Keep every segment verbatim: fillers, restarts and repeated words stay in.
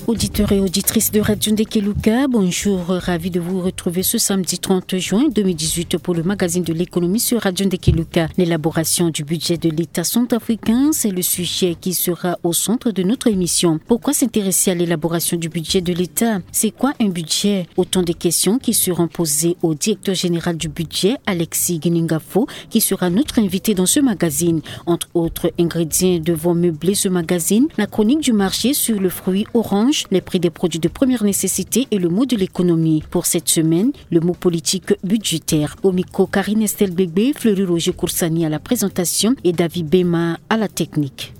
Auditeurs et auditrices de Radio Ndekeluka, bonjour, ravi de vous retrouver ce samedi trente juin deux mille dix-huit pour le magazine de l'économie sur Radio Ndekeluka. L'élaboration du budget de l'État centrafricain, c'est le sujet qui sera au centre de notre émission. Pourquoi s'intéresser à l'élaboration du budget de l'État ? C'est quoi un budget ? Autant de questions qui seront posées au directeur général du budget, Alexis Giningafo, qui sera notre invité dans ce magazine. Entre autres ingrédients devront meubler ce magazine, la chronique du marché sur le fruit orange, les prix des produits de première nécessité et le mot de l'économie. Pour cette semaine, le mot politique budgétaire. Au micro, Karine Estelle Bébé, Fleury Roger Koursani à la présentation et David Bema à la technique.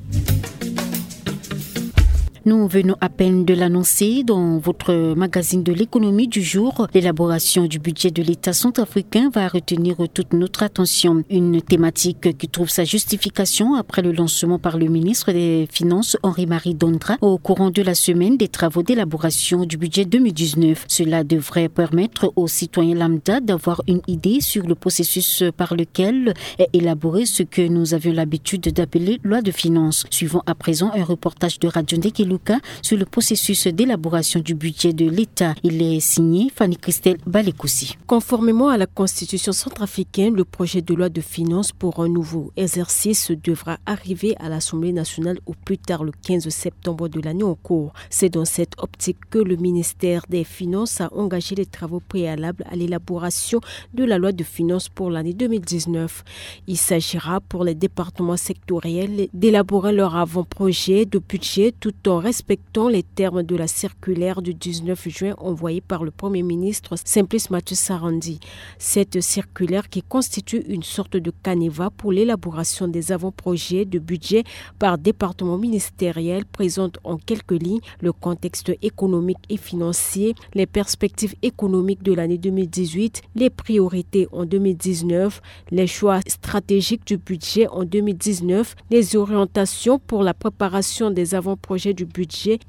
Nous venons à peine de l'annoncer dans votre magazine de l'économie du jour. L'élaboration du budget de l'État centrafricain va retenir toute notre attention. Une thématique qui trouve sa justification après le lancement par le ministre des Finances, Henri-Marie Dondra, au courant de la semaine des travaux d'élaboration du budget deux mille dix-neuf. Cela devrait permettre aux citoyens lambda d'avoir une idée sur le processus par lequel est élaboré ce que nous avions l'habitude d'appeler loi de finances. Suivons à présent un reportage de Radio Ndekeluka sur le processus d'élaboration du budget de l'État. Il est signé Fanny Christelle Balekoussi. Conformément à la Constitution centrafricaine, le projet de loi de finances pour un nouveau exercice devra arriver à l'Assemblée nationale au plus tard le quinze septembre de l'année en cours. C'est dans cette optique que le ministère des Finances a engagé les travaux préalables à l'élaboration de la loi de finances pour l'année deux mille dix-neuf. Il s'agira pour les départements sectoriels d'élaborer leur avant-projet de budget tout en respectant les termes de la circulaire du dix-neuf juin envoyée par le Premier ministre Simplice Mathieu Sarandji. Cette circulaire, qui constitue une sorte de canevas pour l'élaboration des avant-projets de budget par département ministériel, présente en quelques lignes le contexte économique et financier, les perspectives économiques de l'année deux mille dix-huit, les priorités en deux mille dix-neuf, les choix stratégiques du budget en deux mille dix-neuf, les orientations pour la préparation des avant-projets du budget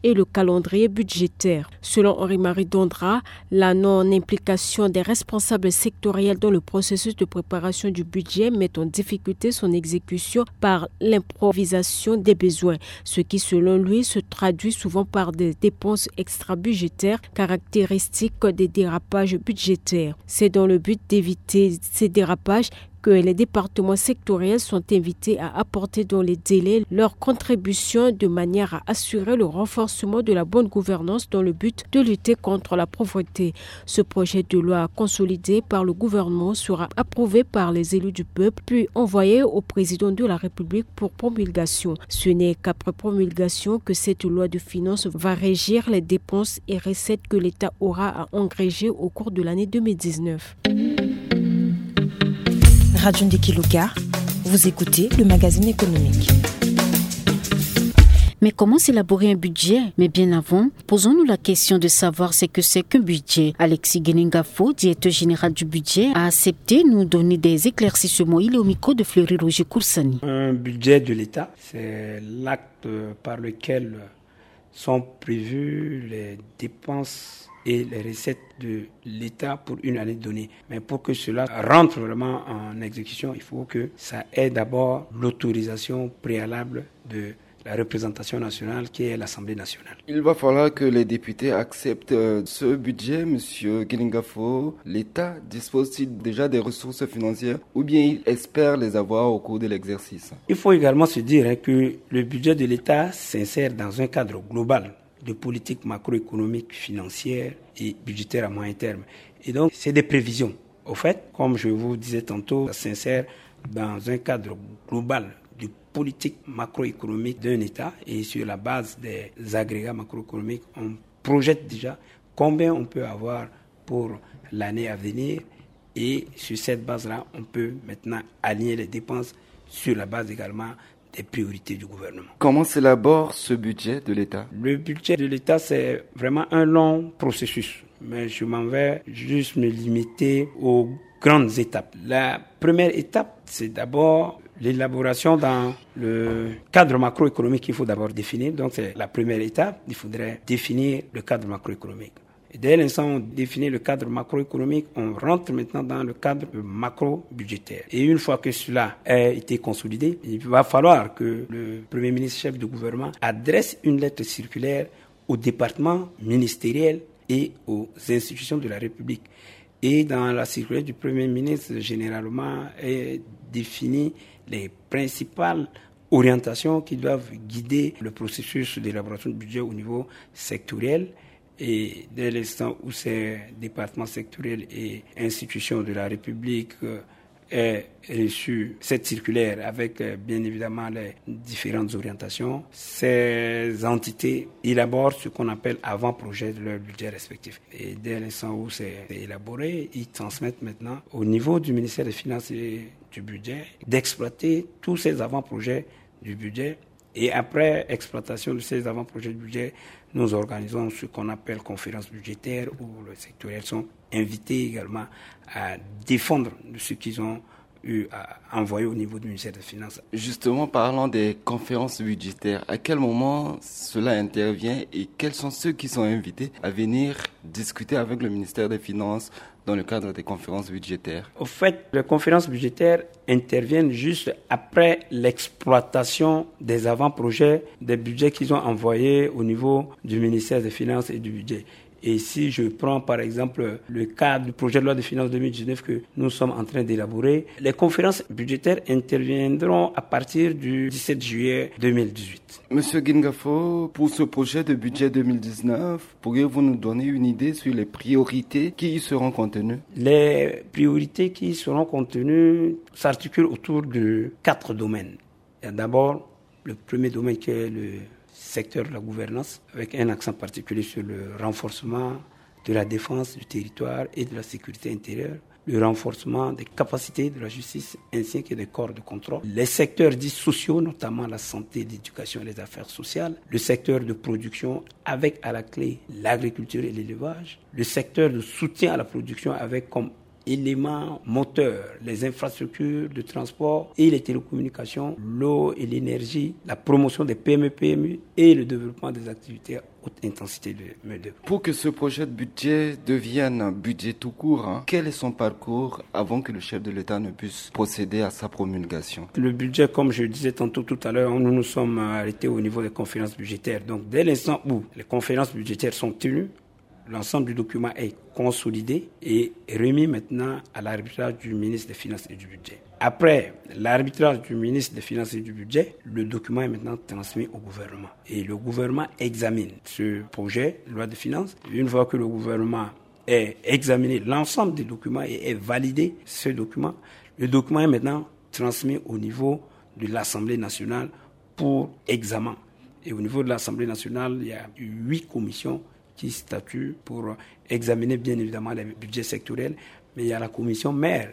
et le calendrier budgétaire. Selon Henri-Marie Dondra, la non-implication des responsables sectoriels dans le processus de préparation du budget met en difficulté son exécution par l'improvisation des besoins, ce qui, selon lui, se traduit souvent par des dépenses extra-budgétaires, caractéristiques des dérapages budgétaires. C'est dans le but d'éviter ces dérapages que les départements sectoriels sont invités à apporter dans les délais leur contribution de manière à assurer le renforcement de la bonne gouvernance dans le but de lutter contre la pauvreté. Ce projet de loi consolidé par le gouvernement sera approuvé par les élus du peuple, puis envoyé au président de la République pour promulgation. Ce n'est qu'après promulgation que cette loi de finances va régir les dépenses et recettes que l'État aura à engranger au cours de l'année deux mille dix-neuf. Radio Ndekeluka, vous écoutez le magazine économique. Mais comment s'élaborer un budget ? Mais bien avant, posons-nous la question de savoir ce que c'est qu'un budget. Alexis Genengafo, directeur général du budget, a accepté nous donner des éclaircissements. Il est au micro de Fleury Roger Koursani. Un budget de l'État, c'est l'acte par lequel sont prévues les dépenses et les recettes de l'État pour une année donnée. Mais pour que cela rentre vraiment en exécution, il faut que ça ait d'abord l'autorisation préalable de la représentation nationale qui est l'Assemblée nationale. Il va falloir que les députés acceptent, euh, ce budget, Monsieur Genengafo. L'État dispose-t-il déjà des ressources financières ou bien il espère les avoir au cours de l'exercice ? Il faut également se dire, hein, que le budget de l'État s'insère dans un cadre global de politique macroéconomique, financière et budgétaire à moyen terme. Et donc, c'est des prévisions. Au fait, comme je vous disais tantôt, ça s'insère dans un cadre global de politique macroéconomique d'un État, et sur la base des agrégats macroéconomiques, on projette déjà combien on peut avoir pour l'année à venir, et sur cette base-là, on peut maintenant aligner les dépenses sur la base également des priorités du gouvernement. Comment s'élabore ce budget de l'État ? Le budget de l'État, c'est vraiment un long processus, mais je m'en vais juste me limiter aux grandes étapes. La première étape, c'est d'abord l'élaboration dans le cadre macroéconomique qu'il faut d'abord définir. Donc, c'est la première étape. Il faudrait définir le cadre macroéconomique. Et dès l'instant où on définit le cadre macroéconomique, on rentre maintenant dans le cadre macro-budgétaire. Et une fois que cela a été consolidé, il va falloir que le Premier ministre, chef du gouvernement, adresse une lettre circulaire aux départements ministériels et aux institutions de la République. Et dans la circulaire du Premier ministre, généralement, est défini les principales orientations qui doivent guider le processus d'élaboration du budget au niveau sectoriel. Et dès l'instant où ces départements sectoriels et institutions de la République, euh, aient reçu cette circulaire avec, euh, bien évidemment, les différentes orientations, ces entités élaborent ce qu'on appelle avant-projet de leur budget respectif. Et dès l'instant où c'est élaboré, ils transmettent maintenant au niveau du ministère des Finances et du Budget d'exploiter tous ces avant-projets du budget. Et après exploitation de ces avant-projets du budget, nous organisons ce qu'on appelle conférence budgétaire, où les sectoriels sont invités également à défendre de ce qu'ils ont eu à envoyer au niveau du ministère des Finances. Justement, parlant des conférences budgétaires, à quel moment cela intervient et quels sont ceux qui sont invités à venir discuter avec le ministère des Finances dans le cadre des conférences budgétaires ? Au fait, les conférences budgétaires interviennent juste après l'exploitation des avant-projets, des budgets qu'ils ont envoyés au niveau du ministère des Finances et du Budget. Et si je prends par exemple le cas du projet de loi de finances deux mille dix-neuf que nous sommes en train d'élaborer, les conférences budgétaires interviendront à partir du dix-sept juillet deux mille dix-huit. Monsieur Guinga Fo, pour ce projet de budget deux mille dix-neuf, pourriez-vous nous donner une idée sur les priorités qui y seront contenues ? Les priorités qui y seront contenues s'articulent autour de quatre domaines. Il y a d'abord le premier domaine qui est le secteur de la gouvernance, avec un accent particulier sur le renforcement de la défense du territoire et de la sécurité intérieure, le renforcement des capacités de la justice ainsi que des corps de contrôle, les secteurs dits sociaux, notamment la santé, l'éducation et les affaires sociales, le secteur de production avec à la clé l'agriculture et l'élevage, le secteur de soutien à la production avec comme éléments moteurs les infrastructures de transport et les télécommunications, l'eau et l'énergie, la promotion des P M E P M U et le développement des activités haute intensité de main-d'œuvre. Pour que ce projet de budget devienne un budget tout court, hein, quel est son parcours avant que le chef de l'État ne puisse procéder à sa promulgation ? Le budget, comme je le disais tantôt tout à l'heure, nous nous sommes arrêtés au niveau des conférences budgétaires. Donc, dès l'instant où les conférences budgétaires sont tenues, l'ensemble du document est consolidé et remis maintenant à l'arbitrage du ministre des Finances et du Budget. Après l'arbitrage du ministre des Finances et du Budget, le document est maintenant transmis au gouvernement. Et le gouvernement examine ce projet de loi de finances. Une fois que le gouvernement est examiné, l'ensemble des documents est, est validé, ce document, le document est maintenant transmis au niveau de l'Assemblée nationale pour examen. Et au niveau de l'Assemblée nationale, il y a huit commissions qui statuent pour examiner bien évidemment les budgets sectoriels, mais il y a la commission mère,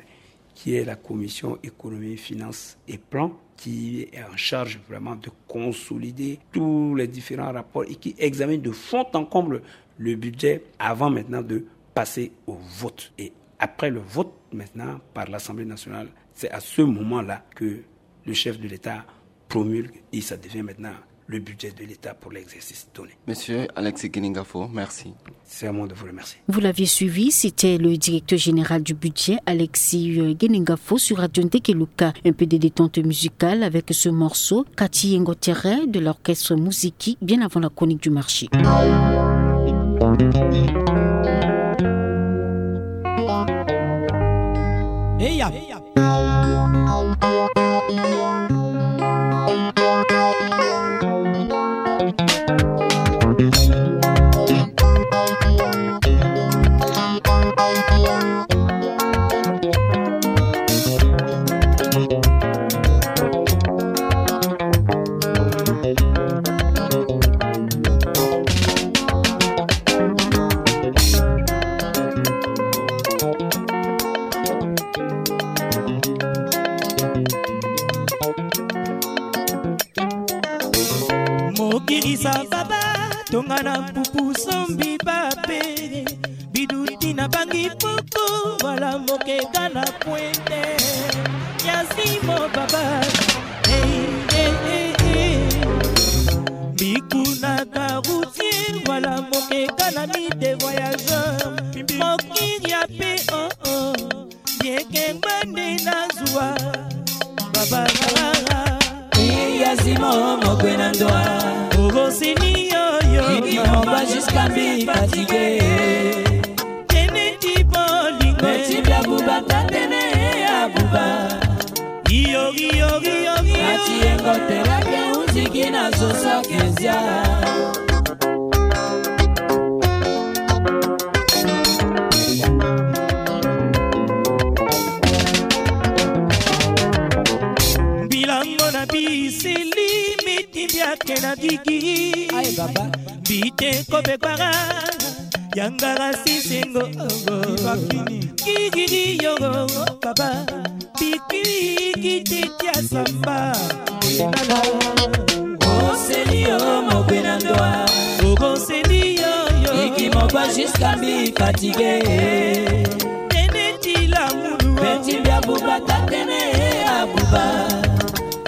qui est la commission économie, finances et plan, qui est en charge vraiment de consolider tous les différents rapports et qui examine de fond en comble le budget avant maintenant de passer au vote. Et après le vote maintenant par l'Assemblée nationale, c'est à ce moment-là que le chef de l'État promulgue et ça devient maintenant le budget de l'État pour l'exercice donné. Monsieur Alexis Guinga Fo, merci. C'est à moi de vous remercier. Vous l'aviez suivi, c'était le directeur général du budget, Alexis, euh, Guinga Fo, sur Radio Ntekeluka. Un peu de détente musicale avec ce morceau, Kati Yengo Tere, de l'orchestre Muziki, bien avant la chronique du marché. Hey, ya. Mokirisa baba, tonga na mpupu sombi bape, biduti na bangi poko, wala mokeka na pwende. Yazimo baba, hey, hey, hey, hey. Bikuna ka routier, wala mokeka na mite voyageur. Mokiri ya pe, oh, oh. Yeke ngbande na zuwa. Baba. Yazimo mokwe na ndoa. Ogosini yo yo. Mongwa jusqu'à mbi fatigué. Tene ti bolingo. Petit bia buba tatene ya buba. Iyo, iyo, iyo, iyo. Ati yengo terake unziki na zoso kezia. Bilango na biseli miti biake na gigi. Aye baba. Bite kobe gbara. Yangara sisengo. Kigiri yogo baba. Bikiri kiti tia samba. Oseli yo mokwe na ndoa. Oboseli yo yo. Iki mokwa jusqu'à mbi fatigué. Tene ti lamulu. Petit bia buba tatene ya buba.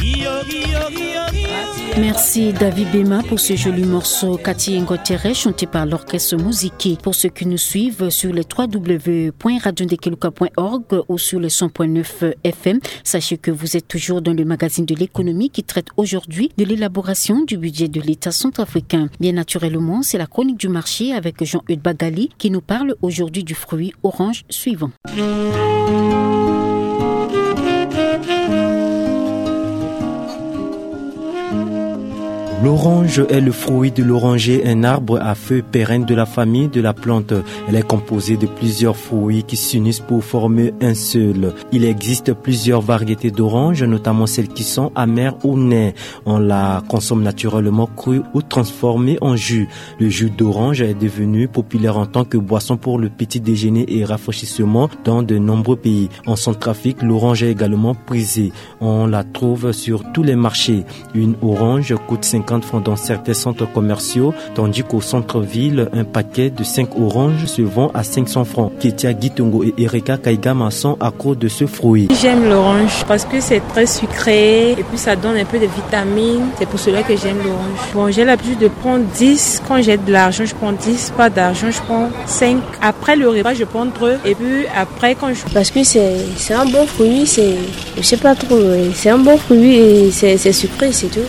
Iyo, iyo, iyo, iyo. Merci David Bema pour ce joli morceau. Kati Yengo Tere, chanté par l'orchestre Moziki. Pour ceux qui nous suivent sur les trois w point radio ndekeluka point org ou sur les cent point neuf F M, sachez que vous êtes toujours dans le magazine de l'économie qui traite aujourd'hui de l'élaboration du budget de l'État centrafricain. Bien naturellement, c'est la chronique du marché avec Jean-Eudes Bagali qui nous parle aujourd'hui du fruit orange suivant. L'orange est le fruit de l'oranger, un arbre à feuilles pérennes de la famille de la plante. Elle est composée de plusieurs fruits qui s'unissent pour former un seul. Il existe plusieurs variétés d'oranges, notamment celles qui sont amères ou nées. On la consomme naturellement crue ou transformée en jus. Le jus d'orange est devenu populaire en tant que boisson pour le petit déjeuner et rafraîchissement dans de nombreux pays. En Centrafrique, l'orange est également prisée. On la trouve sur tous les marchés. Une orange coûte cinquante francs dans certains centres commerciaux, tandis qu'au centre-ville, un paquet de cinq oranges se vend à cinq cents francs. Ketia Gitongo et Erika Kaigama sont accros de ce fruit. J'aime l'orange parce que c'est très sucré et puis ça donne un peu de vitamines. C'est pour cela que j'aime l'orange. Bon, j'ai l'habitude de prendre dix. Quand j'ai de l'argent, je prends dix. Pas d'argent, je prends cinq. Après le repas, je prends deux. Et puis après, quand je... Parce que c'est, c'est un bon fruit, c'est, je sais pas trop, euh, c'est un bon fruit et c'est, c'est sucré, c'est tout.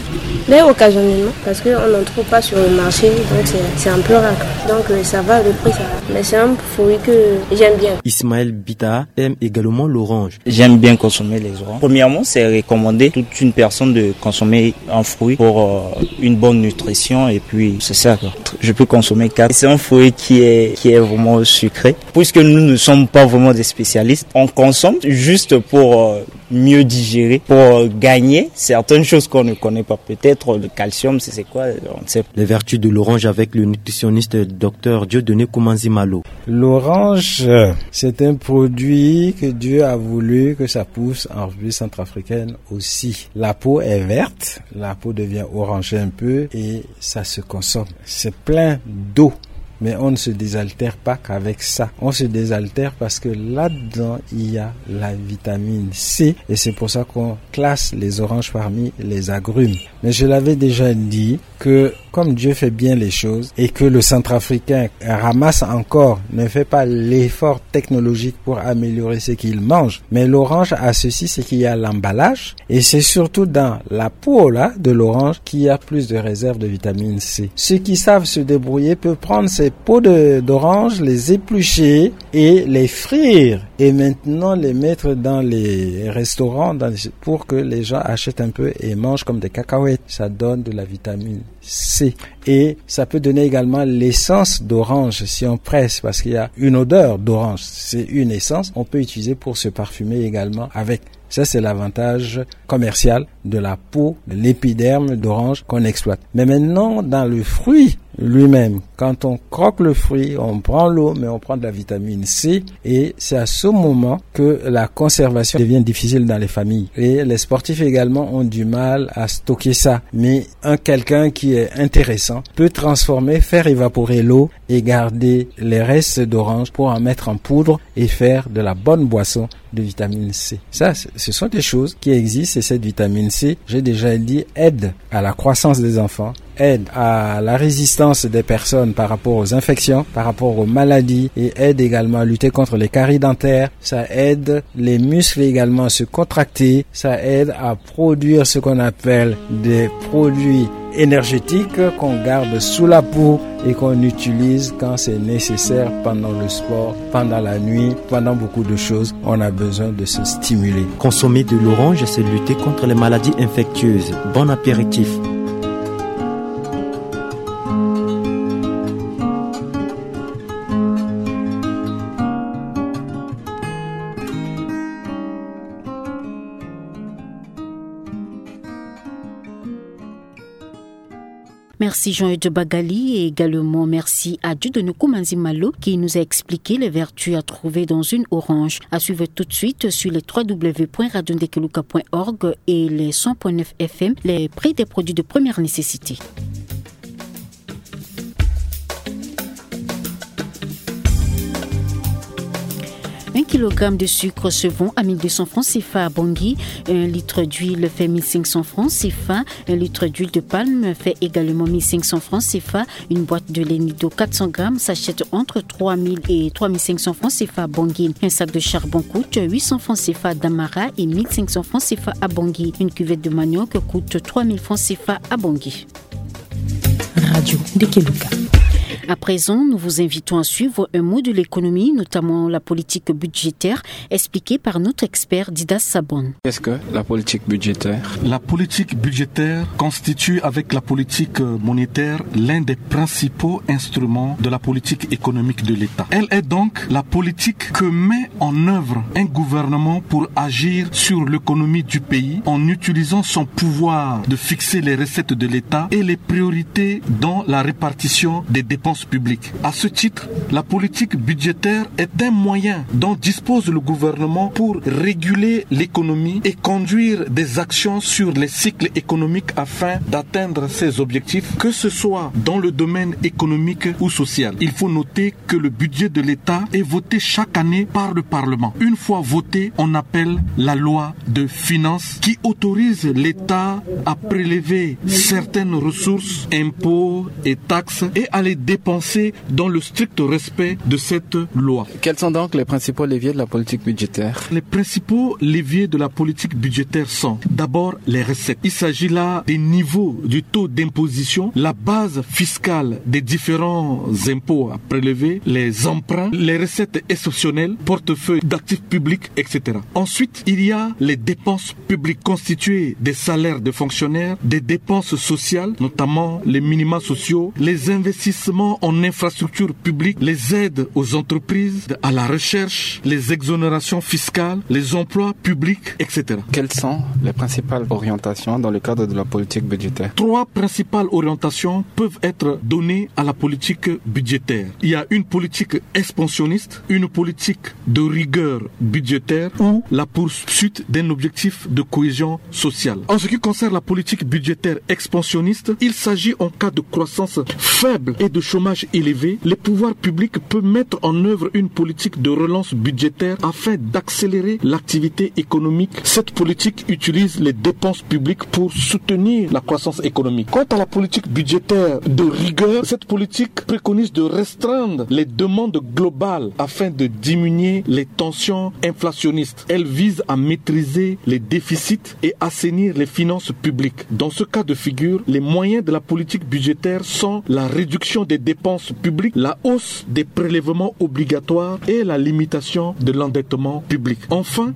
Mais occasionnellement, parce qu'on n'en trouve pas sur le marché, donc c'est, c'est un peu rare. Donc, euh, ça va, le prix, ça va. Mais c'est un fruit que j'aime bien. Ismaël Bita aime également l'orange. J'aime bien consommer les oranges. Premièrement, c'est recommandé. Toute une personne de consommer un fruit pour, euh, une bonne nutrition et puis c'est ça, quoi. Je peux consommer quatre. C'est un fruit qui est, qui est vraiment sucré. Puisque nous ne sommes pas vraiment des spécialistes, on consomme juste pour, euh, mieux digérer, pour, euh, gagner certaines choses qu'on ne connaît pas. Peut-être le calcium, c'est, c'est quoi, on ne sait pas. Les vertus de l'orange avec le nutritionniste docteur Dieudonné Koumanzi Malo. L'orange, c'est un produit que Dieu a voulu que ça pousse en République centrafricaine aussi. La peau est verte, la peau devient orangée un peu et ça se consomme. C'est plein d'eau. Mais on ne se désaltère pas qu'avec ça. On se désaltère parce que là-dedans, il y a la vitamine C. Et c'est pour ça qu'on classe les oranges parmi les agrumes. Mais je l'avais déjà dit que comme Dieu fait bien les choses et que le centrafricain ramasse encore, ne fait pas l'effort technologique pour améliorer ce qu'il mange. Mais l'orange a ceci, c'est qu'il y a l'emballage. Et c'est surtout dans la peau là, de l'orange qu'il y a plus de réserves de vitamine C. Ceux qui savent se débrouiller peuvent prendre ces peaux de, d'orange, les éplucher et les frire. Et maintenant les mettre dans les restaurants, dans les, pour que les gens achètent un peu et mangent comme des cacahuètes. Ça donne de la vitamine C. Et ça peut donner également l'essence d'orange si on presse, parce qu'il y a une odeur d'orange. C'est une essence. On peut utiliser pour se parfumer également avec. Ça, c'est l'avantage commercial de la peau, de l'épiderme d'orange qu'on exploite. Mais maintenant, dans le fruit lui-même, quand on croque le fruit, on prend l'eau, mais on prend de la vitamine C. Et c'est à ce moment que la conservation devient difficile dans les familles. Et les sportifs également ont du mal à stocker ça. Mais un quelqu'un qui est intéressant peut transformer, faire évaporer l'eau et garder les restes d'orange pour en mettre en poudre et faire de la bonne boisson de vitamine C. Ça, c-, ce sont des choses qui existent et cette vitamine C, j'ai déjà dit, aide à la croissance des enfants, aide à la résistance des personnes par rapport aux infections, par rapport aux maladies, et aide également à lutter contre les caries dentaires. Ça aide les muscles également à se contracter. Ça aide à produire ce qu'on appelle des produits énergétiques qu'on garde sous la peau et qu'on utilise quand c'est nécessaire, pendant le sport, pendant la nuit, pendant beaucoup de choses. On a besoin de se stimuler. Consommer de l'orange, c'est lutter contre les maladies infectieuses. Bon apéritif. Merci Jean-Eudes Bagali et également merci à Dieudonné Koumanzi Malo qui nous a expliqué les vertus à trouver dans une orange. À suivre tout de suite sur les trois w point radio ndekeluka point org et les cent point neuf F M, les prix des produits de première nécessité. Un kilogramme de sucre se vend à mille deux cents francs C F A à Bangui. Un litre d'huile fait mille cinq cents francs C F A. Un litre d'huile de palme fait également mille cinq cents francs C F A. Une boîte de lait Nido quatre cents grammes s'achète entre trois mille et trois mille cinq cents francs C F A à Bangui. Un sac de charbon coûte huit cents francs C F A à Damara et mille cinq cents francs C F A à Bangui. Une cuvette de manioc coûte trois mille francs C F A à Bangui. Radio Ndekeluka. À présent, nous vous invitons à suivre un mot de l'économie, notamment la politique budgétaire, expliquée par notre expert Dida Sabon. Qu'est-ce que la politique budgétaire ? La politique budgétaire constitue avec la politique monétaire l'un des principaux instruments de la politique économique de l'État. Elle est donc la politique que met en œuvre un gouvernement pour agir sur l'économie du pays en utilisant son pouvoir de fixer les recettes de l'État et les priorités dans la répartition des dépenses publiques. À ce titre, la politique budgétaire est un moyen dont dispose le gouvernement pour réguler l'économie et conduire des actions sur les cycles économiques afin d'atteindre ses objectifs, que ce soit dans le domaine économique ou social. Il faut noter que le budget de l'État est voté chaque année par le Parlement. Une fois voté, on appelle la loi de finances qui autorise l'État à prélever certaines ressources, impôts et taxes, et à les dépenser dans le strict respect de cette loi. Quels sont donc les principaux leviers de la politique budgétaire ? Les principaux leviers de la politique budgétaire sont d'abord les recettes. Il s'agit là des niveaux du taux d'imposition, la base fiscale des différents impôts à prélever, les emprunts, les recettes exceptionnelles, portefeuille d'actifs publics, et cetera. Ensuite, il y a les dépenses publiques constituées des salaires de fonctionnaires, des dépenses sociales, notamment les minima sociaux, les investissements en infrastructures publiques, les aides aux entreprises, à la recherche, les exonérations fiscales, les emplois publics, et cetera. Quelles sont les principales orientations dans le cadre de la politique budgétaire ? Trois principales orientations peuvent être données à la politique budgétaire. Il y a une politique expansionniste, une politique de rigueur budgétaire ou la poursuite d'un objectif de cohésion sociale. En ce qui concerne la politique budgétaire expansionniste, il s'agit en cas de croissance faible et de chômage élevé, les pouvoirs publics peuvent mettre en œuvre une politique de relance budgétaire afin d'accélérer l'activité économique. Cette politique utilise les dépenses publiques pour soutenir la croissance économique. Quant à la politique budgétaire de rigueur, cette politique préconise de restreindre les demandes globales afin de diminuer les tensions inflationnistes. Elle vise à maîtriser les déficits et assainir les finances publiques. Dans ce cas de figure, les moyens de la politique budgétaire sont la réduction des dépenses publiques, la hausse des prélèvements obligatoires et la limitation de l'endettement public. Enfin,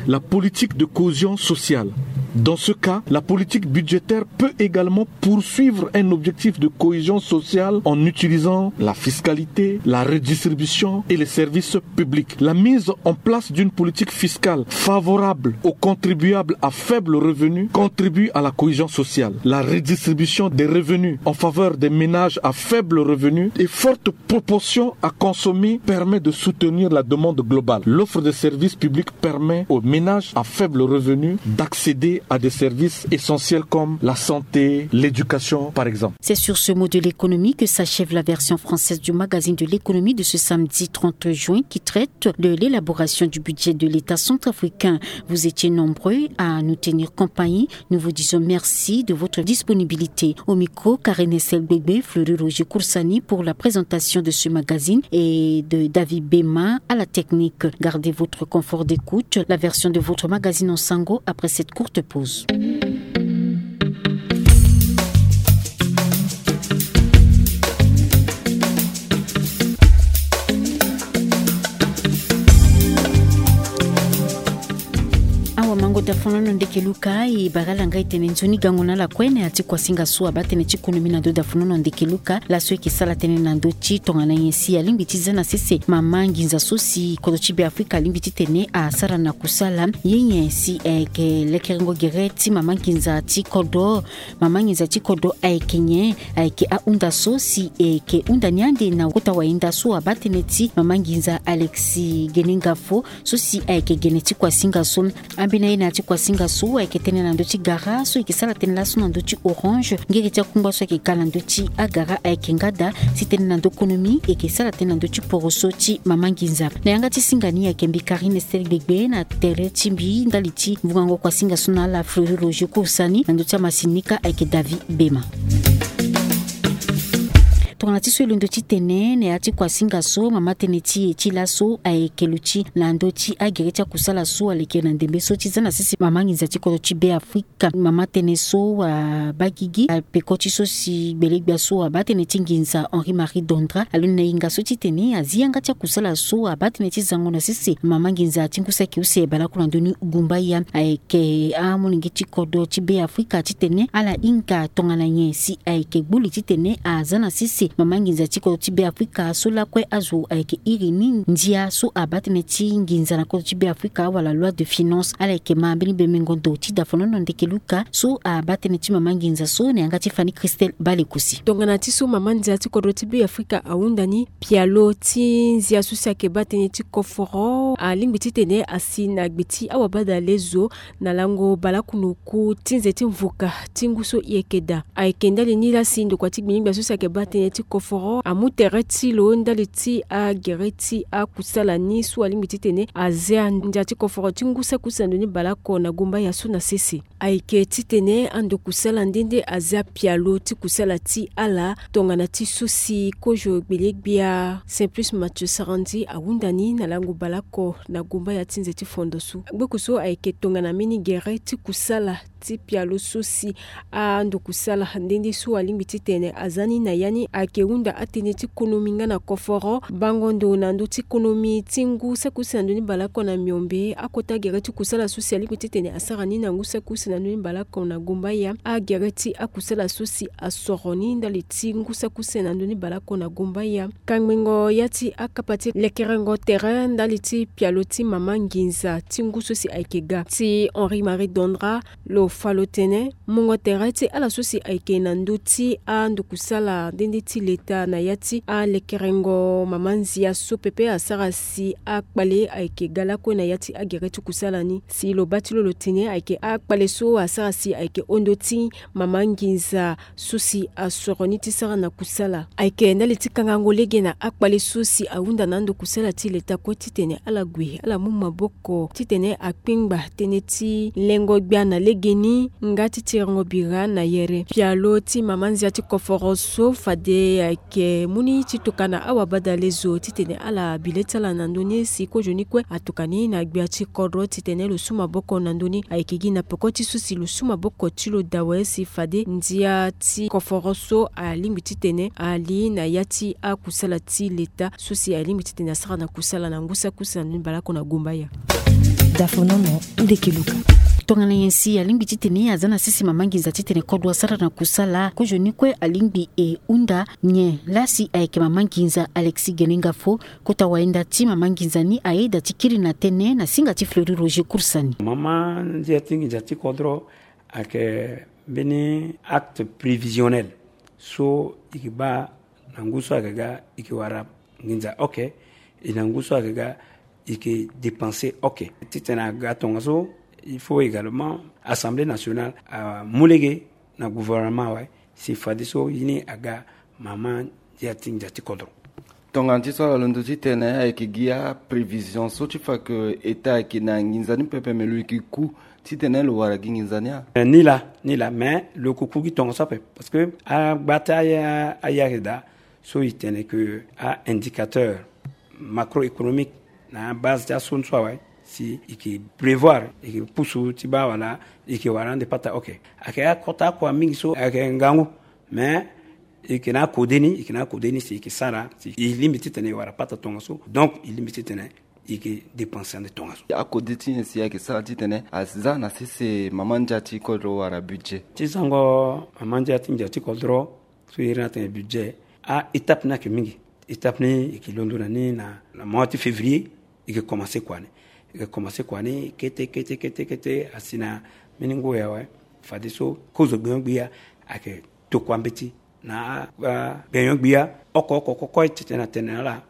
la politique de cohésion sociale. Dans ce cas, la politique budgétaire peut également poursuivre un objectif de cohésion sociale en utilisant la fiscalité, la redistribution et les services publics. La mise en place d'une politique fiscale favorable aux contribuables à faible revenu contribue à la cohésion sociale. La redistribution des revenus en faveur des ménages à faible revenu et forte proportion à consommer permet de soutenir la demande globale. L'offre de services publics permet aux ménages à faible revenu d'accéder à des services essentiels comme la santé, l'éducation, par exemple. C'est sur ce mot de l'économie que s'achève la version française du magazine de l'économie de ce samedi trente juin, qui traite de l'élaboration du budget de l'État centrafricain. Vous étiez nombreux à nous tenir compagnie. Nous vous disons merci de votre disponibilité. Au micro, Karine Estelle Gbegbe, Fleury Roger Koursani pour la présentation de ce magazine et de David Bema à la technique. Gardez votre confort d'écoute. La version de votre magazine en sango après cette courte pause. Awa mango dafonono ndeke luka e bara langa e tene nzoni gango na ala kue na ya ti kuasinga so abaa tënë ti konomi na ndo dafonono ndeke luka laso e yeke sara tënë na ndo ti tongana nyen si alingbi ti za na sese mama nginza so si kodro ti Beafrika alingbi titene asara na kusala. Ye nyen si ayeke lekerengo gere ti mama nginza ti kodro? Mama nginza ti kodro ayeke nyen? Ayeke ahunda so si e yeke hunda ni ande na kota wayenda so abaa tënë ti mama nginza Alexis Genenga Fo so si ayeke gene ti kuasinga so. Ambeni aye na ya ti kuasinga so ayeke tënë na ndö ti gara so e yeke sara tënë laso na ndö ti Orange ngenge ti akungba so ayeke ga na ndö ti agara ayeke nga daa. Si tënë na ndö konomi e yeke sara tënë na ndö ti poroso ti mama nginza. Na yanga ti singa ni ayeke mbi Karine Estelle Gbegbe na tere ti mbi ndali ti vungango kuasinga so na ala Fleury Roger Koursani, na ndö ti amasini ni kâ ayeke David Bema. Tongana ti so e londo titene na ya ti kuasinga so mama tënë ti e ti laso ayeke luti na ndö ti agere ti akusala so aleke na ndembe so ti za na sese mama nginza ti kodro ti Beafrika. Mama tënë so abaa gigi apeko ti so si gbelegbia so abaa tënë ti nginza Henri Marie Dondra alondo na hinga so titene azi yanga ti akusala so abaa tënë ti zango na sese mama nginza ti ngu saki use baleoko na ndö ni gumbaya. Ayeke amolenge ti kodro ti Beafrika titene ala hinga tongana nyen si ayeke gbu li titene aza na sese mama nginza ti kodro ti Beafrika so lakue azo ayeke iri ni ndia so abaa tënë ti nginza na kodro ti Beafrika wala loi de finance. Ala yeke ma mbeni bemengo ndo ti dafonono ndeke luka so abaa tënë ti mama nginza so na yanga ti Fanny Christelle Balekosi. Tongana ti so mama ndia ti kodro ti Beafrika ahunda ni, pialo ti nzia so si ayeke baa tënë ti koforo alingbi titene asi na gbe ti awabadale zo na lango baleoko na oku ti nze ti mvuka ti ngu so e yeke daa. Ayeke ndali ni laa si ndokua ti gbinigbia so si ayeke baa tënë ti koforo amu tere ti lo ndali ti agere ti akusala ni so alingbi titene azia ndia ti koforo ti ngu saki use na ndoni baleoko na gumbaya so na sese. Ayeke titene ando kusala nde nde azia pialo ti kusala ti ala tongana ti so si kozo gbelegbia Simplice Mathieu Sarandji ahunda ni na lango baleoko na gumbaya ti nze ti fondo so. Gbeku so ayeke tongana mbeni gere ti kusala ti pialo so si ando kusala nde nde so alingbi titene aza ni na ya ni ayeke hunda atënë ti konomi nga na koforo bango ndo na ndö ti konomi ti ngu saki use na ndö ni baleoko na miombe. Akota gere ti kusala so si alingbi titene asara ni na ngu saki use na ndö ni baleoko na gumbaya. Agere ti akusala so si asoro ni ndali ti ngu saki use na ndö ni baleoko na gumbaya. Kangbengo ya ti akapa ti lekerengo tere ndali ti pialo ti mama nginza ti ngu so si ayeke ga ti Henri Marie Dondra lo fa lo tene mungo tere ti ala so si ayeke na ndö ti ando kusala nde nde ti leta na ya ti alekerengo mama nzia so pepe asara si akpale ayeke ga lakue na ya ti agere ti kusala ni. Si lo baa ti lo lo tene ayeke akpale so asara si ayeke hon ndö ti mama nginza so si asoro ni ti sara na kusala. Ayeke ndali ti kangango lege na akpale so si ahunda na ando kusala ti leta kue titene ala gue ala mu maboko titene akpingba tënë ti lengo gbia na legeni nga ti tirengo bira na yere. Pialo ti mama nzia ti koforo so fade ayeke mu ni ti tokana awabadale zo titene ala bi le ti ala na ndö ni si kozo ni kue atokani na gbia ti kodro titene lo su maboko na ndö ni. Ayeke gi na peko ti so si lo su maboko ti lo dawe si fade ndia ti koforo so alingbi titene ali na ya ti akusala ti leta so si alingbi titene asara na kusala na ngu saki use na ndö ni baleoko na gumbaya. Dafonono ndeke luka. Tongana nyen si alingbi titene aza na sese mama nginza titene kodro asara na kusala, kozo ni kue alingbi e hunda nyen? Laa si ayeke mama nginza Alexis Genenga Fo, kota wayenda ti mama nginza ni ayeda ti kiri na tënë na singa ti Fleury Roger Koursani. Mama ndia ti nginza ti kodro ayeke mbeni acte prévisionnel so e ke baa na ngu so ayeke ga e ke wara nginza oke. E na ngu so ayeke ga e ke dépenser oke. Titene aga tongaso Il faut également Assemblée nationale amu lege na gouvernement, ouais, si fadeso ye ni aga mama ndia ti ndia ti kodro. Tongana ti so ala londo titene ayeke gi aprévision so ti fa ke état ayeke na nginza ni pepe, me lo yeke ku titene lo wara gi nginza ni a? Eh, ni laa, ni laa, mais lo yeke ku gi tongaso ape, parce que agba ti aya, aya ayeke daa so e tene ke a-indicateur macroéconomique na abase ti aso ni so awe, si e yeke prévoir, e yeke pusu ti baa wala e yeke wara ande pata, ok. Ayeke akota akua mingi so ayeke ngangu, mais e yeke na akode ni, e yeke na akode ni si e yeke sara si e lingbi titene e wara pata tongaso. Donc e lingbi titene e yeke dépenser ande tongaso. Akode ti nyen si ayeke sara titene aza na sese mama ndia ti kodro wala budget? Ti zango mama ndia ti ndia ti kodro so e iri ni atene budget, a-étape ni ayeke mingi. Étape ni e yeke londo na ni na, na mois ti février, e yeke commencer kua ni. E yeke commencer kua ni kete, kete, kete, kete, asi na mbeni ngu ya awe. Fadeso kozo gbenyo-gbia ayeke tokua mbeti na, ah, gbenyo-gbia oko oko oko kue titene atene na ala.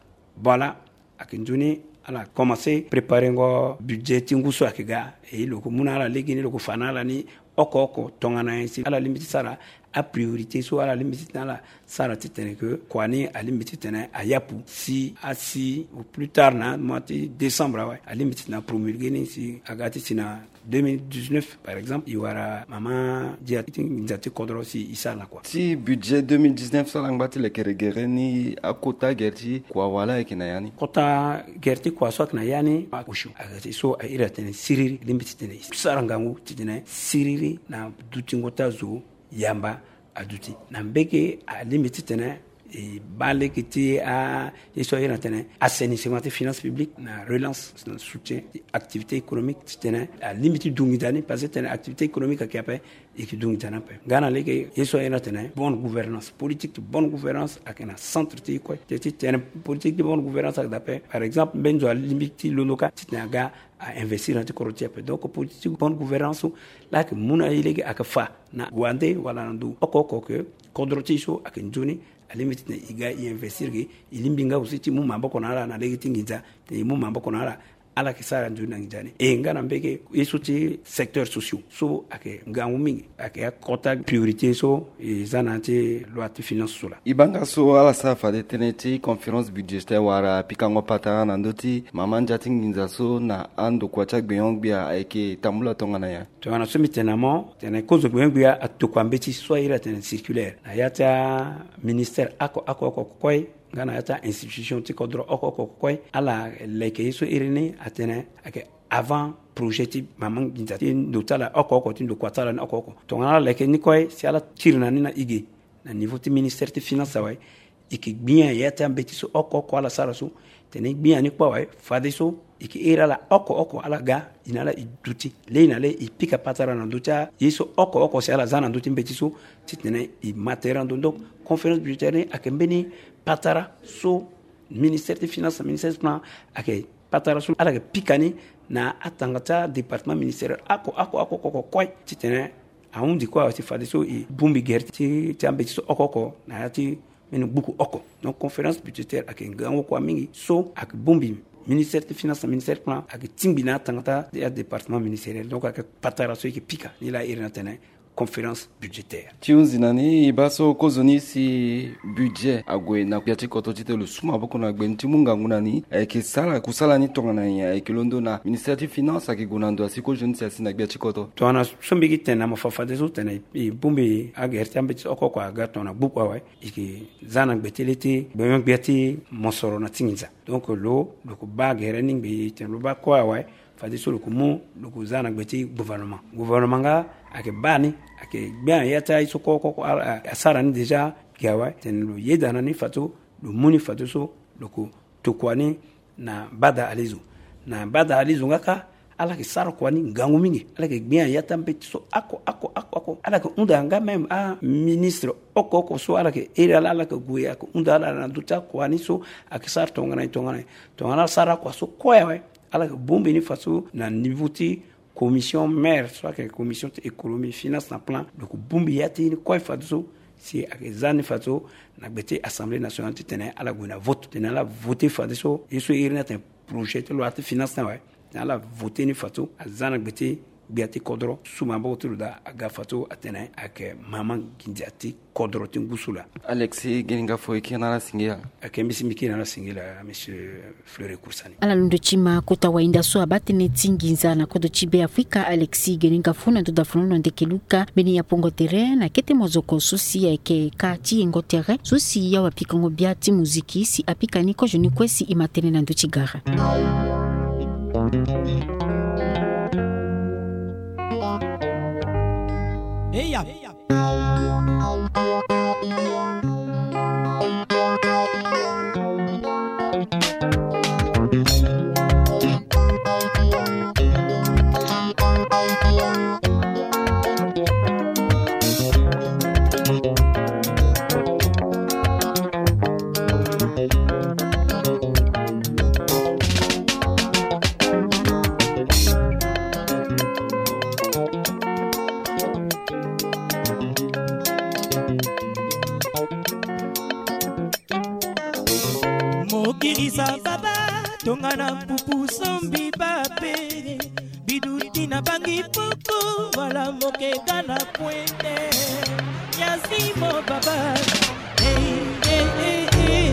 Voilà, ayeke nzoni ala commencer préparengo budget ti ngu so ayeke ga. E lo yeke mu na ala legeni, lo yeke fa na ala ni oko oko tongana nyen si ala lingbi ti sara apriorité so ala lingbi titene ala sara titene ke kua ni alingbi titene ayapu si asi au plus tard na mois ti décembre awe, alingbi titene apromulguer ni si aga ti si na deux mille dix-neuf, par exemple, e wara mama ndia ti nginza ti kodro si e sara na kua. Ti budget deux mille dix-neuf so ala ngba ti lekere gere ni, akota gere ti kua wala ayeke na ya ni? Kota gere ti kua so ayeke na ya ni, akosi ayeke ti so a iri atene siriri, lingbi titene e sara ngangu titene siriri na dutingo ti azo yamba aduti. Na mbege alingbi titene e baa lege ti a, ye so a iri atene assainissement ti finance publique, na relance, na soutien ti activité économique, titene alingbi ti du nginza ni, parce que tene activité économique ayeke ape, e yeke du nginza ni ape. Nga na lege ye so a iri atene bonne gouvernance, politique ti bonne gouvernance ayeke na centre ti e kue. Te ti tene politique ti bonne gouvernance ayeke daa ape, par exemple mbeni zo alingbi ti londo kâ titene aga a investir na ya ti kodro ti e ape. Donc politique ti bonne gouvernance so laa ayeke mu na e lege, ayeke fa na wande wala na ndo oko oko ke kodro ti e so ayeke nzoni, alingbi titene e ga e investir ge, e lingbi nga aussi ti mu maboko na ala na lege ti nginza, titene e mu maboko na ala, ala yeke sara nzoni na nginza ni. E nga na mbege ye so ti secteur sociaux so ayeke ngangu mingi, ayeke akota priorité so e za na ya ti loi ti finance so laa. E baa nga so ala sara fade tënë ti conférence budgétaire wala pikango patara na ndö ti mama ndia ti nginza so na andokua ti agbenyo-gbia ayeke tambula tongana nyen? Tongana so mbi tene na mo, tene kozo gbenyo-gbia atokua mbeti so a iri atene circulaire na ya ti aministère oko oko oko kue, nga na ya ti a-institution ti kodro oko oko oko kue, ala leke ye so iri ni atene ayeke avant projet ti mama nginza ti ndo ti ala oko oko, ti ndokua ti ala ni oko oko. Tongana ala leke ni kue, si ala tiri na ni na e ge na niveau ti ministère ti finance awe, e yeke gbia ya ti ambeti so oko oko ala sara so. Tene gbia ni kue awe, fadeso e yeke iri ala oko oko ala ga, e na ala e duti. Lei na lei e pika patara na ndö ti aye so oko oko si ala za na ndö ti mbeti so, titene e ma tere na ndo. Donc conférence budgétaire ni ayeke mbeni patara so ministère ti finance na ministère ti plan ayeke patara so ala yeke pika ni na atanga ti adépartement ministériel oko oko oko oko kue, titene ahundi kue awe si fadeso e bongbi gere ti, ti ambeti so oko oko na ya ti mbeni gbuku oko. Donc conférence budgétaire ayeke ngangu kua mingi so ayeke bongbi ministère ti finance na ministère plan, ayeke tingbi na atanga ti adépartement ministériel. Donc ayeke patara so e yeke pika ni laa iri ni atene conférence budgétaire. Ti hunzi na ni, e baa so kozoni si budget ague na gbia ti koto titene lo su maboko na gbe ni ti mu ngangu na ni, ayeke sara kusala ni tongana nyen? Ayeke londo na ministère ti finance ayeke gue na ndo asi kozoni si asi na gbia ti koto? Tongana so mbi gi tene na mo fa fadeso tene e bongbi agere ti ambeti oko oko aga tongana gbuku awe, e yeke za na gbe ti le ti gbenyo-gbia ti mosoro na ti nginza. Donc lo, lo yeke baa gere ni ngbii tene lo baa kue awe, fadeso lo yeke mu, lo yeke za na gbe ti gouvernement. Gouvernement nga ayeke baa ni, ayeke gbia na ya ti aye so oko oko ala, asara ni déjà ge awe, tene lo yeda na ni fadeso lo mu ni fadeso lo yeke tokua ni na bada ali zo. Na bada ali zo nga kâ, ala yeke sara kua ni ngangu mingi. Ala yeke gbia na ya ti ambeti so oko oko oko oko. Ala yeke hunda nga même aministre oko oko so ala yeke iri ala, ala yeke gue, ayeke hunda ala na ndö ti akua ni so ayeke sara tongana nyen tongana nyen. Tongana ala sara akua so kue awe, ala yeke bongbi ni fadeso na niveau ti commission mère so ayeke commission ti économie, finance na plan, lo yeke bongbi ya ti ni kue fadeso si ayeke za ni fadeso na gbe ti assemblée nationale titene ala gue na vote, titene ala voter fadeso ye so iri ni atene projet ti loi ti finance ni awe, titene ala voter ni fadeso aza na gbe ti Gbia ti kodro su maboko ti lo daa aga fa so atene ayeke mama nginza ti kodro ti ngu so laa. Alexis Geninga Fo, e kiri na ala singila. Ayeke mbi si mbi kiri na ala singila, monsieur Fleury Kursani. Ala londo ti ma kota wahinda so abaa tënë ti nginza na kodro ti Beafrika, Alexis Geninga Fo, na ndo dafonono ndeke luka mbeni apongo tere na kete mozoko so si ayeke ka ti yengo tere so si awa pikango bia ti muziki si apika ni kozo ni kue si e ma tënë na ndo ti gara. Eya. Mokirisa baba, tongana mpupu sombi bape, biduti na bangi poko, wala mokeka na pwende. Yazimo baba, eh, eh, eh, eh.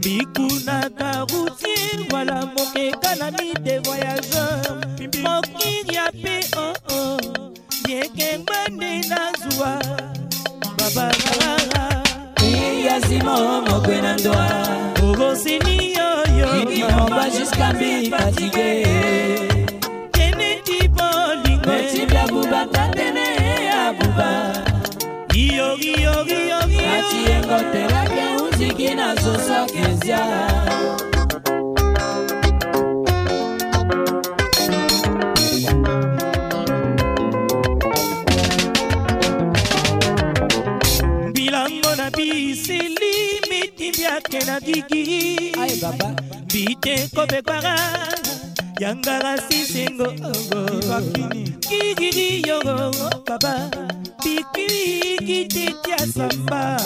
Bikunaka routier, wala mokeka na mite voyageur. Mokiri ape, oh, oh. Yeke ngbande na zuwa. Baba. Yazimo mokwe na ndoa. Ogoseni yo, yo. Kiki mongwa jusqu'à mbi fatigué. Tene ti bolingo. Beti bia buba tatene ya buba. Iyo, iyo, iyo, iyo. Ati yengo terake unziki na zosa kezia. Bilango na bisili miti biake na gigi. Aye baba. Bite kobe gbara. Yangara sisengo. Kigiri yogo baba. Pikiki titi asamba.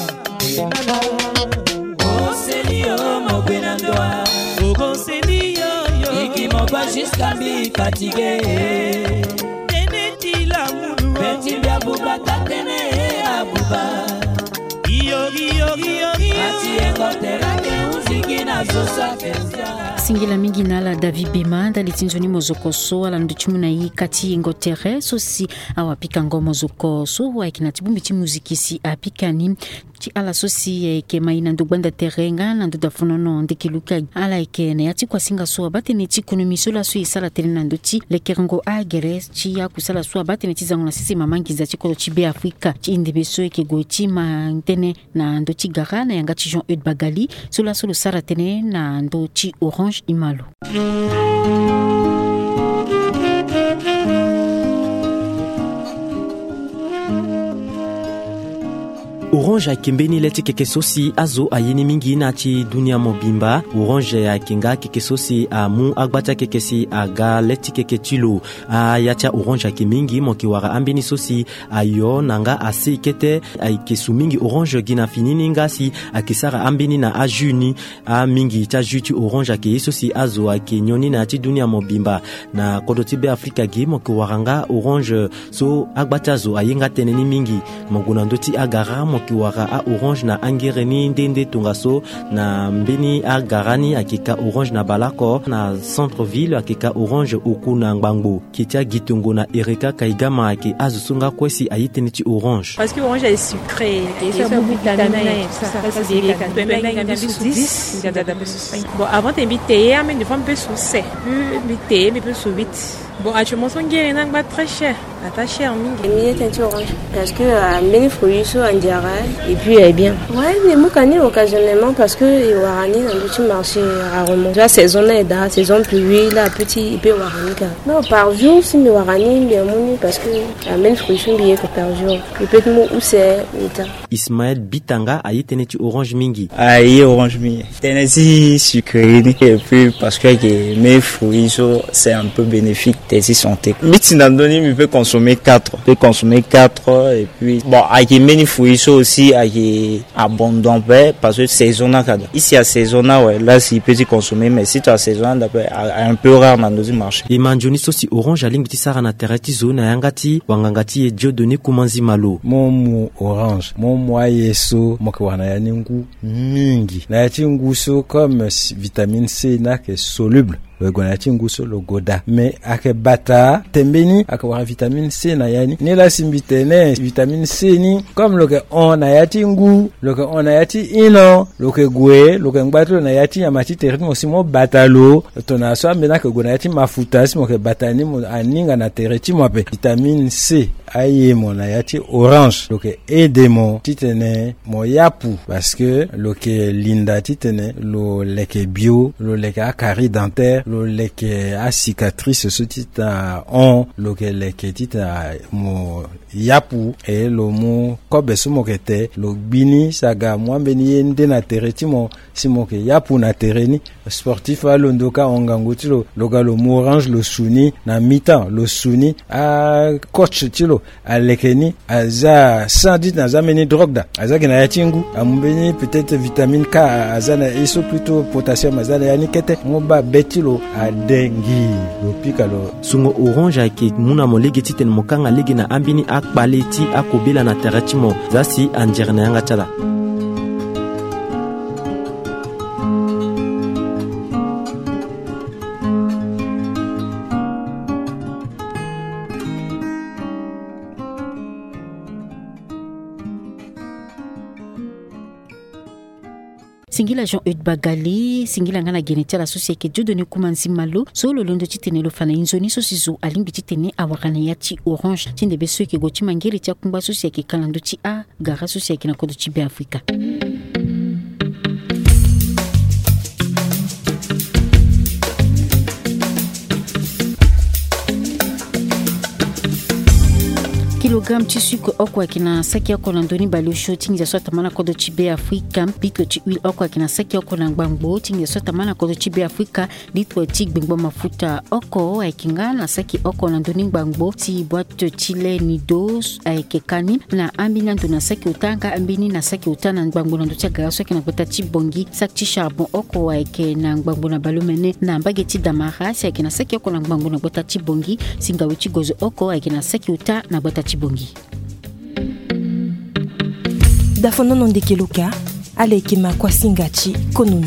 Oseli yo mokwe na ndoa. Okoseli yo, yo. Iki mokwa jusqu'à mbi fatigué. Tene ti lamulu. Beti bia buba tatene ya buba. Iyo, iyo, iyo, iyo. Ati yengo terake unziki na zosa kezia. Singila mingi na ala David Bema ndali ti nzoni mozoko so ala ndo ti mu na ye ka ti yengo tere so si awa pikango mozoko so ayeke na ti bongbi ti muziki si apika ni. Ti ala so si ayeke mai na ndo gbanda tere nga na ndo dafonono ndeke luka. Ala yeke na ya ti kuasinga so abaa tënë ti konomi so laso e sara tënë na ndö ti lekerengo agere ti akusala so abaa tënë ti zango na sese mama nginza ti kodro ti Beafrika ti e ndembe so e yeke gue ti ma tënë na ndö ti gara na yanga ti Jean Eudes Bagali so laso lo sara tënë na ndö ti Orange Imalo. Orange ayeke mbeni le ti keke so si azo aye ni mingi na ya ti dunia mobimba. Orange ayeke nga keke so si amu agba ti akeke si aga le ti keke ti lo. Aya ti a-orange ayeke mingi, mo yeke wara ambeni so si ayo na nga asei kete. Ayeke su mingi orange gi na fini ni nga si ayeke sara ambeni na ajus ni. Amingi ti ajus ti orange ayeke ye so si azo ayeke nyon ni na ya ti dunia mobimba. Na kodro ti Beafrika gi mo yeke wara nga orange so agba ti azo aye nga tënë ni mingi. Mo gue na ndö ti agara mo yeke wara a-orange na angere ni nde nde tongaso. Na mbeni agara ni ayeke ka orange na bale oko, na centre ville ayeke ka orange oku na ngbangbo. Kete agitongo na Ereka Kaigama ayeke azo so nga kue si aye tënë ti orange. Parce que orange est sucré, et ça, beaucoup de vitamines, tout ça, ça, c'est bien. Mbi so dix, mbi ada mbi so cinq. Bon, avant, mbi teye, mais des fois, mbi peut so sept. Mbi teye, mbi peut so huit. Bon, actuellement, so ngere ni angba très cher. Ata cher mingi. Mbi ye tënë ti orange parce que, euh, mbeni fruit so andiara, et puis, euh, bien. Ouais, mbi mu ka ni occasionnellement parce que e wara ni na ndö ti marché rarement. Tu vois, saison ni e daa, saison pluie, là, petit, e peut wara ni ka. Non, par jour, si mbi wara ni, mbi amu ni parce que, euh, mbeni fruit so mbi ye ko par jour. E peut ti mu use, mbi ta. Ismaël Bitanga aye tënë ti orange mingi. Aye orange mingi. Tënë ti sucrerie ni. Et puis parce que ayeke mbeni fruit so c'est un peu bénéfique tënë ti santé. Mbi ti na ndö ni mbi peut consommer. Consommer quatre, peut consommer quatre, et puis bon, ayeke mbeni fruits so aussi ayeke abondant pe, parce que saison ni ayeke daa. Isi asaison ni awe, la si peut ti consommer, mais si tongana asaison ni anda pe, a un peu rare na ndö ti marché. E ma nzoni so si Orange alingbi ti sara na tere ti zo na yanga ti wanganga ti e Dieudonné Koumanzi Malo. Mo mu Orange, mo mu aye so mo yeke wara na ya ni ngu mingi. Na ya ti ngu so, comme vitamine C ni ayeke soluble, lo yeke gue na ya ti ngu so lo goda. Mais ayeke bata tembeni, ayeke wara vitamine C na ya ni. Nilaa si mbi tene vitamine C ni, comme lo yeke hon na ya ti ngu, lo yeke hon na ya ti ino, lo yeke gue, lo yeke ngba ti lo na ya ti nyama ti tere ti mo si mo bata lo. Tongana so ambeni ayeke gue na ya ti mafuta si mo yeke bata ni, mo aninga na tere ti mo ape. Vitamine C aye mo na ya ti Orange, lo yeke aide mo titene mo yapu, parce que lo yeke linda titene lo leke bio, lo leke acarie dentaire, lo leke acicatrice so ti ta hon, lo yeke leke ti ta mo yapu. E lo mu kobe so mo yeke te, lo gbi ni si aga amu ambeni ye nde na tere ti mo, si mo yeke yapu na tere ni. Sportif alondo ka hon ngangu ti lo, lo ga lo mu Orange lo su ni na mi-temps, lo su ni, acoach ti lo aleke ni, aza sans doute na aza mbeni drogue daa, aza gi na ya ti ngu, amu mbeni peut-être vitamine K aza na ye so, plutôt potassium aza na ya ni kete, mo baa be ti lo ade ngii, lo pika lo. Sungo Orange ayeke mu na mo lege titene mo kanga lege na ambeni akpale ti akobela na tere ti mo. Za si anzere na yanga ti ala. Singila Jean Eude Bagali, singila nga na gene ti ala so si ayeke Dieudonné Koumanzi Malo, so lo londo titene lo fa na e nzoni so si zo alingbi titene awara na ya ti Orange ti ndembe so e yeke gue ti mangere ti akungba so si ayeke ka na ndö ti a gara so si ayeke na kodro ti Be Afrika. Kilogramme ti sucre oko ayeke na saki oko na ndö ni baleosio ti nginza so atambana na kodro ti Be Afrika. Litre ti huile oko ayeke na saki oko na ngbangbo ti nginza so atambana na kodro ti Be Afrika. Litre ti gbengbo mafuta oko ayeke nga na saki oko na ndö ni ngbangbo ti boîte ti lait Nido ayeke ka ni na ambeni ando na saki ota nga ambeni na saki ota na ngbangbo na ndö ti agara so ayeke na gbata ti Bangui. Saki ti charbon oko ayeke na ngbangbo na baleomene na mbage ti Damara si ayeke na saki oko na ngbangbo na gbata ti Bangui. Si ngawe ti gozo oko ayeke na saki ota na gbata ti Bangui. Dafonono ndeke loka, ala yeke ma kuasinga ti konomi.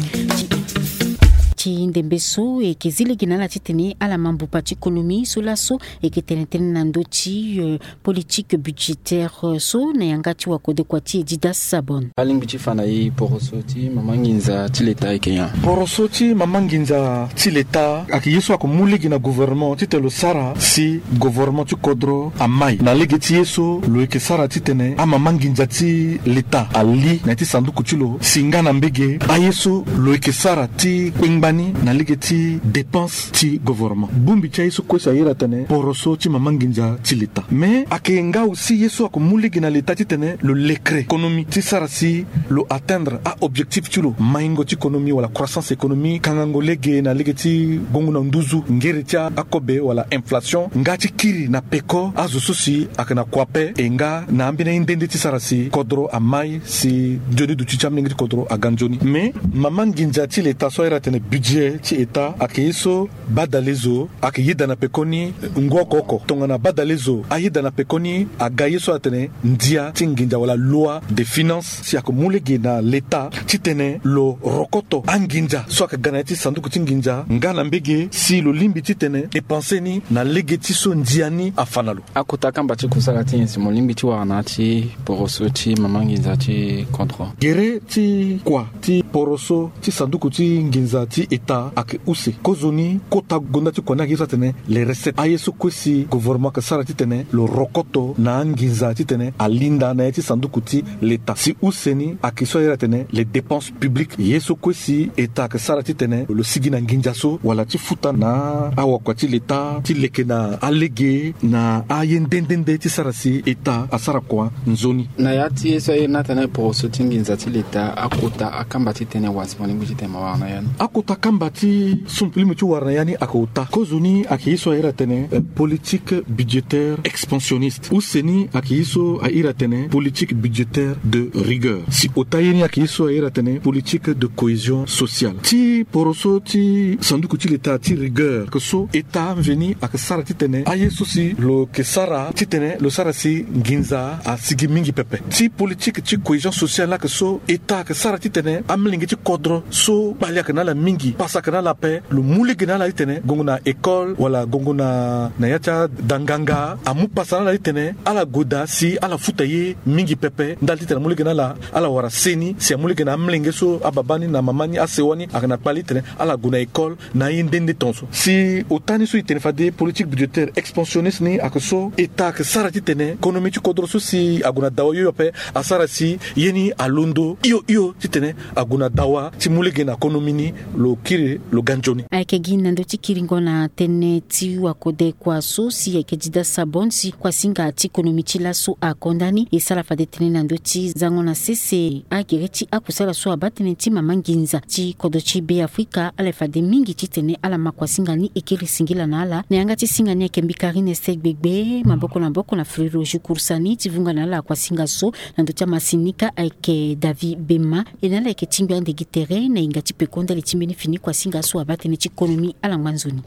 Ti ndembe so e yeke zi lege na ala titene ala ma mbupa ti konomi so laso e yeke tene tënë na ndö ti, euh, politique budgétaire, euh, so na yanga ti wakodekua ti e Didas Sabon. Alingbi ti fa na e poroso ti mama nginza ti leta ayeke nyen? Poroso ti mama nginza ti leta ayeke ye so ayeke mu lege na gouvernement titene lo sara si gouvernement ti kodro amai. Na lege ti ye so lo yeke sara titene amama nginza ti leta ali na ya ti sanduku ti lo si nga na mbege aye so lo yeke sara ti kpengba ni na lege ti dépense ti gouvernement. Bongbi ti aye so kue si ayeda atene poroso ti mama nginza ti leta. Mais ayeke nga aussi ye so ayeke mu lege na leta titene lo lekre économie ti sara si lo atteindre a-objectif ti lo, maingo ti économie wala croissance économie, kangango lege na lege ti gongo na nduzu, ngere ti akobe wala inflation, nga ti kiri na peko azo so si ayeke na kua ape, e nga na ambeni aye nde nde ti sara si kodro amai si nzoni duti ti amolenge ti kodro aga nzoni. Mais mama nginza ti leta so ayeda atene budget ti État ayeke ye so badalezo ayeke yeda na pekoni ngu oko oko. Tongana badalezo ayeda na pekoni aga ye so atene ndia ti nginza wala loi de finance si ayeke mu lege na leta titene lo rokoto anginza so ayeke ga na ya ti sanduku ti nginza nga na mbege si lo lingbi titene dépense ni na lege ti so ndia ni afa na lo. Akota akamba ti kusala ti nyen si mo lingbi ti wara na ya ti poroso ti mama nginza ti kodro? Gere ti kua ti poroso ti sanduku ti nginza ti État ayeke use. Kozoni kota gonda ti kua ni ayeke ye so atene les recettes. Aye so kue si gouvernement ayeke sara titene lo rokoto na anginza titene alinda na ya ti sanduku ti leta. Si use ni ayeke so ayeda atene les dépenses publiques. Ye so kue si État ayeke sara titene lo sigi na nginza so wala ti futa na awakua ti leta ti leke na alege na aye nde nde nde ti sara si État asara kua nzoni. Na ya ti ye so aye ni atene poroso ti nginza ti leta, akota akamba titene wa si mo lingbi titene mo wara na ya ni? Akota Kamba ti so limo ti wara na ya ni ayeke ota. Kozo ni ayeke ye so a iri atene politique budgétaire expansionniste. Use ni ayeke ye so a iri atene politique budgétaire de rigueur. Si ota ye ni ayeke ye so a iri atene politique de cohésion sociale. Ti poroso ti sanduku ti leta ti rigueur ayeke so eta mveni ayeke sara titene aye so si lo yeke sara titene lo sara si nginza asigi mingi pepe. Ti politique ti cohésion sociale ni ayeke so eta ayeke sara titene amolenge ti kodro so kpali ayeke na ala mingi, pasa ayeke na ala ape, lo mu lege na ala titene gongo na école wala gongo na ya ti adanganga amu pasa na ala titene ala gue daa si ala futa ye mingi pepe ndali titene amu lege na ala ala wara seni si amu lege na amolenge so ababa ni na mama ni asewa ni ayeke na kpali titene ala gue na école na aye nde nde tonso. Si ota ni so e tene fade politique budgétaire expansionniste ni ayeke so eta ayeke sara titene konomi ti kodro so si ague na dawa hio ape asara si ye ni alondo hio hio titene ague na dawa ti mu lege na konomi ni lo kiri lo ga nzoni. Ayeke gi na ndö ti kiringo na tënë ti wakode kua so si ayeke dida sabon si kuasinga ti konomi ti laso akonda ni e sara fade tënë na ndö ti zango na sese agere ti akusala so abaa tënë ti mama nginza ti kodro ti be afrika ala fade mingi titene ala ma kuasinga ni e kiri singila na ala na yanga ti singa ni ayeke mbi karine se gbegbe maboko na maboko na fleuroge kursa ni ti vunga na ala kuasinga so na ndö ti amasini ka ayeke david bema e na ala ayeke tingbi ande gi tere na hinga ti peko ndali ti mbeni fini kuasinga so abaa tënë ti konomi ala ngba nzoni.